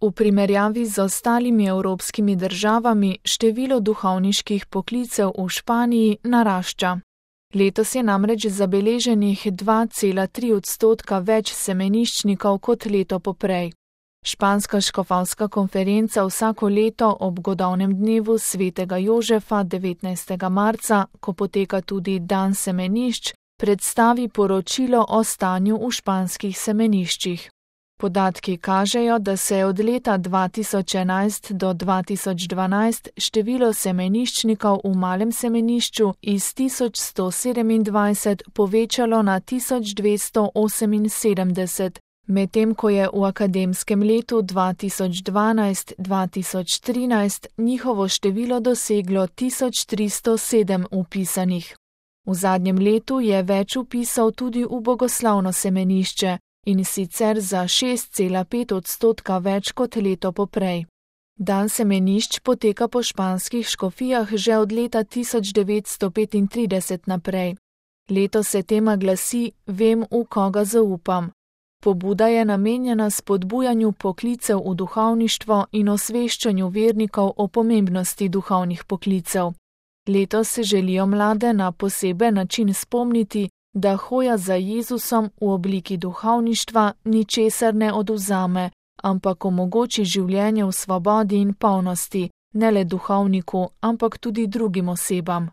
V primerjavi z ostalimi evropskimi državami število duhovniških poklicev v Španiji narašča. Letos je namreč zabeleženih 2,3% več semeniščnikov kot leto poprej. Španska škofovska konferenca vsako leto ob godovnem dnevu svetega Jožefa 19. marca, ko poteka tudi dan semenišč, predstavi poročilo o stanju v španskih semeniščih. Podatki kažejo, da se je od leta 2011 do 2012 število semeniščnikov v malem semenišču iz 1127 povečalo na 1278, medtem ko je v akademskem letu 2012-2013 njihovo število doseglo 1307 vpisanih. V zadnjem letu je več vpisov tudi v bogoslovno semenišče, in sicer za 6,5% več kot leto poprej. Dan semenišč poteka po španskih škofijah že od leta 1935 naprej. Letos se tema glasi Vem, v koga zaupam. Pobuda je namenjena spodbujanju poklicev v duhovništvo in osveščanju vernikov o pomembnosti duhovnih poklicev. Letos se želijo mlade na poseben način spomniti, da hoja za Jezusom v obliki duhovništva ničesar ne odvzame, ampak omogoči življenje v svobodi in polnosti, ne le duhovniku, ampak tudi drugim osebam.